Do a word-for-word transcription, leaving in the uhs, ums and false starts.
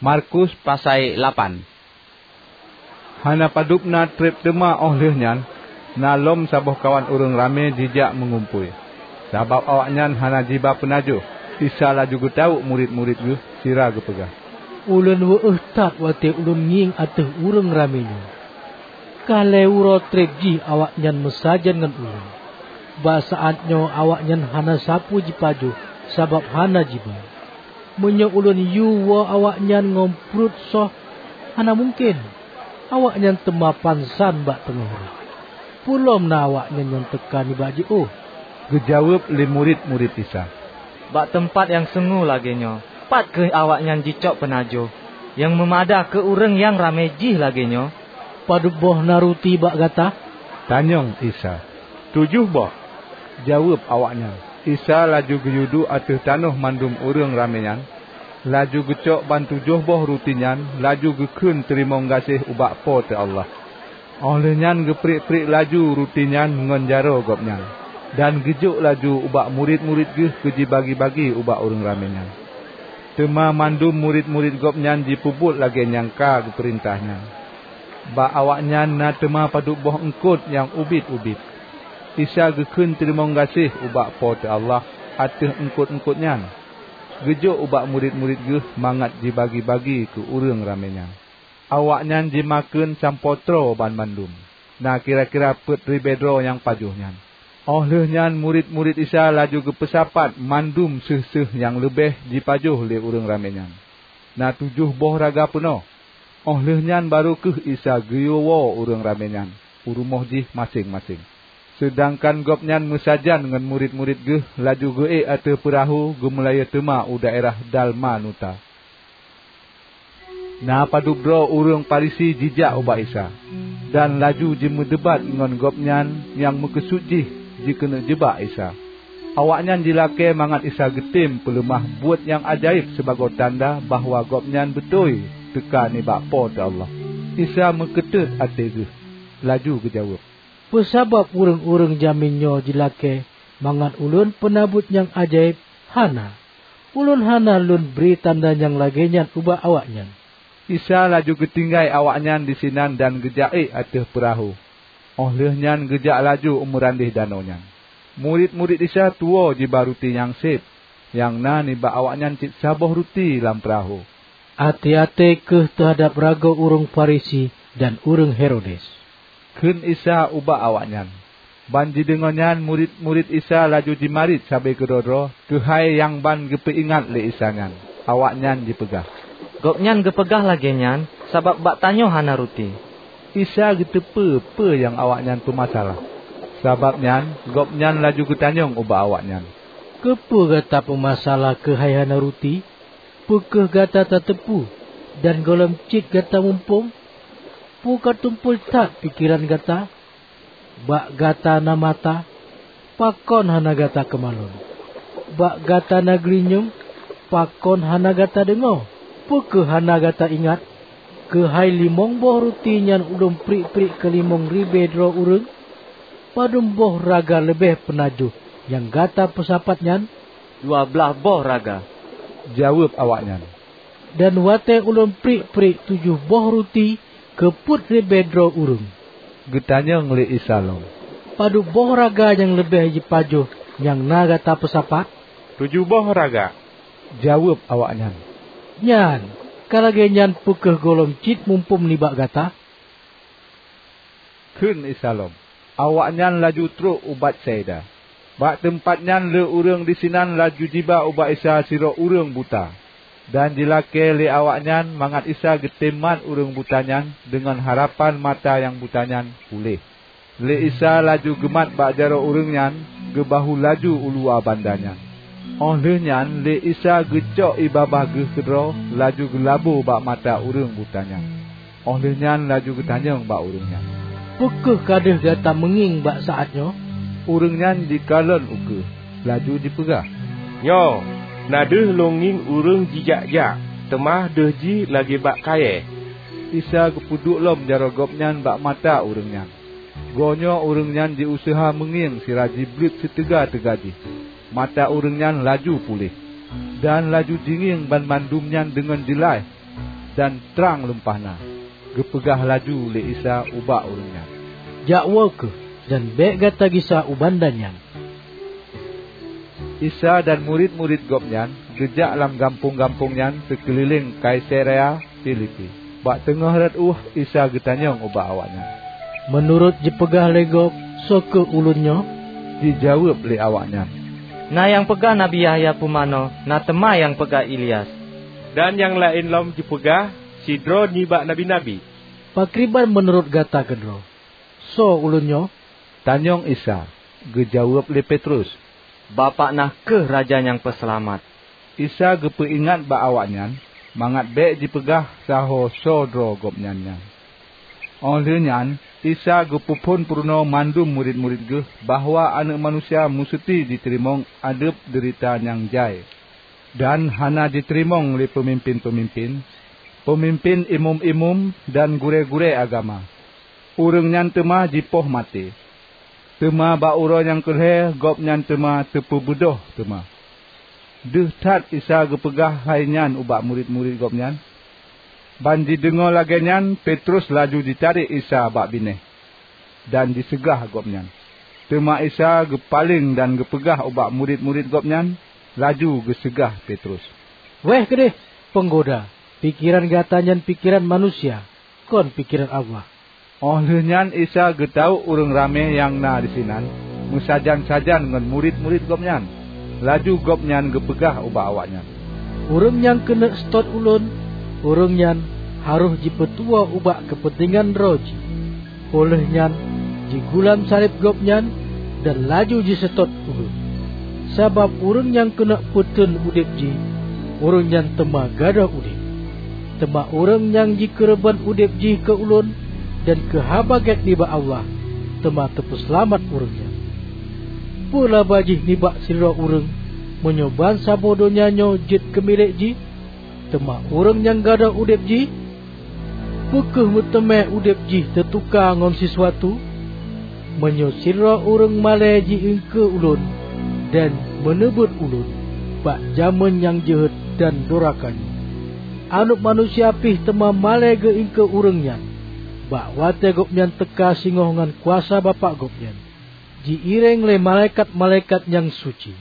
Markus pasai lapan. Hana padub na treb teuma óh lheueh nyan, na lom saboh kawan ureuëng ramé jijak meungumpôi. Sabab awaknyan hana jiba peunajoh, Isa laju geutawök murit-murit Geuh sira geupeugah, "Ulôn weueh that watée ulôn ngieng ateueh ureuëng ramé nyoe. Ka lhée uroe treb jih awaknyan meusajan ngon ulôn. Bak saát nyoe awaknyan hana sapeue jipajoh sabab hana jiba. Meunyoe ulôn yue woe awaknyan ngon pruet soh, hana mungken. Awaknyan teuma pansan bak teungoh uroe. Peulom na awaknyan nyang teuka nibak jiôh." Geujaweueb lé murit-murit Isa, "Bak teumpat nyang sungue lagée nyoe, pat kheueh awaknyan jicok peunajoh nyang meumada keu ureuëng nyang ramé jih lagée nyoe?" "Padub boh na ruti bak gata?" tanyong Isa. "Tujoh boh," jaweueb awaknyan. Isa laju geuyue duek ateueh tanoh mandum ureuëng ramé nyan, laju geucok ban tujoh boh ruti nyan, laju geukheun teurimong gaséh ubak Po teu Allah. Óh lheueh nyan geupriek-priek laju ruti nyan ngon jaroe Gobnyan, dan geujok laju ubak murit-murit Geuh keu jibagi-bagi ubak ureuëng ramé nyan. Teuma mandum murit-murit Gobnyan jipeubuet lagée nyang ka geupeurintah nyan. Bak awaknyan na teuma padub boh eungkot nyang ubit-ubit. Isa geukheun teurimong gaséh ubak Po teu Allah ateueh eungkot-eungkot nyan, geujok ubak murit-murit Geuh mangat jibagi-bagi keu ureuëng ramé nyan. Awaknyan jimakheun sampoe troe banmandum, na kira-kira peuet ribée droe nyang pajoh nyan. Óh lheueh nyan murit-murit Isa laju geupeusapat mandum seuh-seuh nyang leubeh jipajoh lé ureuëng ramé nyan. Na tujoh boh raga peunoh. Óh lheueh nyan barô kheueh Isa geuyue woe ureuëng ramé nyan u rumoh jih maséng-maséng. Seudangkan Gobnyan meusajan ngon murit-murit Geuh laju geuék ateueh peurahô geumeulayeue teuma u daerah Dalmanuta. Na padub droe ureuëng Farisi jijak ubak Isa, dan laju jimeudebat ngon Gobnyan nyang meukeusut jih jikeuneuk jeubak Isa. Awaknyan jilakée mangat Isa geutem peuleumah buet nyang ajaéb sibagoe tanda bahwa Gobnyan beutôi teuka nibak Po teu Allah. Isa meukeuteuet até Geuh, laju geujaweueb, "Peue sabab ureuëng-ureuëng jamén nyoe jilakée mangat Ulôn peuna buet nyang ajaéb? Hana! Ulôn hana Lôn bri tanda nyang lagée nyan ubak awaknyan." Isa laju geutinggai awaknyan disinan dan geujak ék ateueh peurahô. Óh lheueh nyan geujak laju u meurandeh danau nyan. Murit-murit Isa tuwoe jiba ruti nyang seb, nyang na nibak awaknyan cit saboh ruti lam peurahô. "Até-até kheueh teuhadab ragoe ureuëng Farisi dan ureuëng Herodes," kheun Isa ubak awaknyan. Ban jideungoe nyan, murit-murit Isa laju jimarit sabe keudroe-droe keuhai nyang ban geupeuingat lé Isa nyan. Awaknyan jipeugah, "Gobnyan geupeugah lagée nyan sabab bak tanyoe hana ruti." Isa geuteupeue peue nyang awaknyan peumasalah. Sabab nyan, Gobnyan laju geutanyong ubak awaknyan, "Keupeue gata peumasalah keuhai hana ruti? Peu kheueh gata tateupeue, dan gohlom cit gata muphom? Peu ka tumpôi that pikeran gata? Bak gata na mata, pakon hana gata keumalon? Bak gata na geulinyueng, pakon hana gata deungoe? Peu kheueh hana gata ingat keuhai limong boh ruti nyan Ulôn priek-priek keu limong ribée droe ureuëng? Padub boh raga leubeh peunajoh nyang gata peusapat nyan?" "Dua blaih boh raga," jaweueb awaknyan. "Dan watée Ulôn priek-priek tujoh boh ruti keu peuet ribée droe ureuëng?" geutanyong lé Isa lom. "Padub boh raga nyang leubeh jipajoh nyang na gata peusapat?" "Tujoh boh raga," jaweueb awaknyan. "Nyan, ka lagée nyan peu kheueh gohlom cit muphom nibak gata?" kheun Isa lom. Awaknyan laju trok u Betsaida. Bak teumpat nyan le ureuëng disinan laju jiba ubak Isa sidroe ureuëng buta, dan jilakée lé awaknyan mangat Isa geutem mat ureuëng buta nyan deungon harapan mata nyang buta nyan puléh. Lé Isa laju geumat bak jaroe ureuëng nyan, geubahu laju u luwa banda nyan. Óh lheueh nyan lé Isa geucok ié babah Geuh keudroe laju geulabo bak mata ureuëng buta nyan. Óh lheueh nyan laju geutanyong bak ureuëng nyan, "Peu kheueh ka deuh gata meungieng bak saát nyoe?" Ureuëng nyan jikalon ukeue, laju jipeugah, "Nyoe, na deuh lôn ngieng ureuëng jijak-jak, teuma deuh jih lagée bak kayée." Isa geupeuduek lom jaroe Gobnyan bak mata ureuëng nyan. Goe nyoe ureuëng nyan jiuseuha meungieng sira jibleuet siteuga-teuga jih. Mata ureuëng nyan laju puléh, dan laju jingieng banmandum nyan deungon jeulaih. dan trang lumpah na. Geupeugah laju lé Isa ubak ureuëng nyan, "Jak woe kheueh, dan bék gata gisa u banda nyan." Isa dan murit-murit Gobnyan geujak lam gampông-gampông nyan sikeulileng Kaisarea Filipi. Bak teungoh rot ueh Isa geutanyong ubak awaknyan, "Meunurot jipeugah lé gob, soe kheueh Ulôn nyoe?" Jijaweueb lé awaknyan, "Na nyang peugah Nabi Yahya Pumanö, na teuma nyang peugah Ilyas, dan nyang laén lom jipeugah sidroe nibak nabi-nabi." "Pakriban meunurot gata keudroe? Soe Ulôn nyoe?" tanyong Isa. Geujaweueb lé Petrus, "Bapak na kheueh Raja nyang Peuseulamat." Isa geupeuingat bak awaknyan mangat bék jipeugah saho soe droe Gobnyan nyan. Óh lheueh nyan Isa geupeuphon peurunoe mandum murit-murit Geuh bahwa Aneuëk Manusia meuseuti jiteurimong ádeueb deurita nyang jai, dan hana jiteurimong lé peumimpén-peumimpén, peumimpén imeum-imeum, dan gurée-gurée agama. Ureuëng nyan teuma jipoh maté, teuma bak uroe nyang keu lhée Gobnyan teuma teupeubeudôh teuma. Deuh that Isa geupeugah hai nyan ubak murit-murit Gobnyan. Ban jideungoe lagée nyan, Petrus laju jitarek Isa bak binéh dan jiseugah Gobnyan. Teuma Isa geupaleng dan geupeugah ubak murit-murit Gobnyan, laju geuseugah Petrus, "Wéeh keudeh, peunggoda! Pikeran gata nyan pikeran manusia, kon pikeran Allah." Óh lheueh nyan Isa geutawök ureuëng ramé nyang na disinan meusajan-sajan ngon murit-murit Gobnyan. Laju Gobnyan geupeugah ubak awaknyan, "Ureuëng nyang keuneuk seutôt Ulôn, ureuëng nyan harôh jipeutuwoe ubak keupeuntengan droe jih. Óh lheueh nyan jigulam saleb Gobnyan dan laju jiseutôt Ulôn. Sabab ureuëng nyang keuneuk peuteun udeb jih, ureuëng nyan teuma gadôh udeb. Teuma ureuëng nyang jikeureubeuen udeb jih keu Ulôn dan keu Haba Gét nibak Allah, teuma teupeuseulamat ureuëng nyan. Peue laba jih nibak sidroe ureuëng meunyoe bansaboh donya nyoe jeuet keu milék jih, teuma ureuëng nyang gadôh udeb jih? Peu kheueh meuteumé udeb jih teutuka ngon sisuatu? Meunyoe sidroe ureuëng malée ji-iengkeue Ulôn dan meuneubeuet Ulôn bak jamén nyang jeuhet dan doraka nyoe, Aneuëk Manusia pih teuma malée geu-iengkeue ureuëng nyan bak watée Gobnyan teuka singoh ngon kuasa Bapak Gobnyan, ji-iréng lé malaikat-malaikat nyang suci."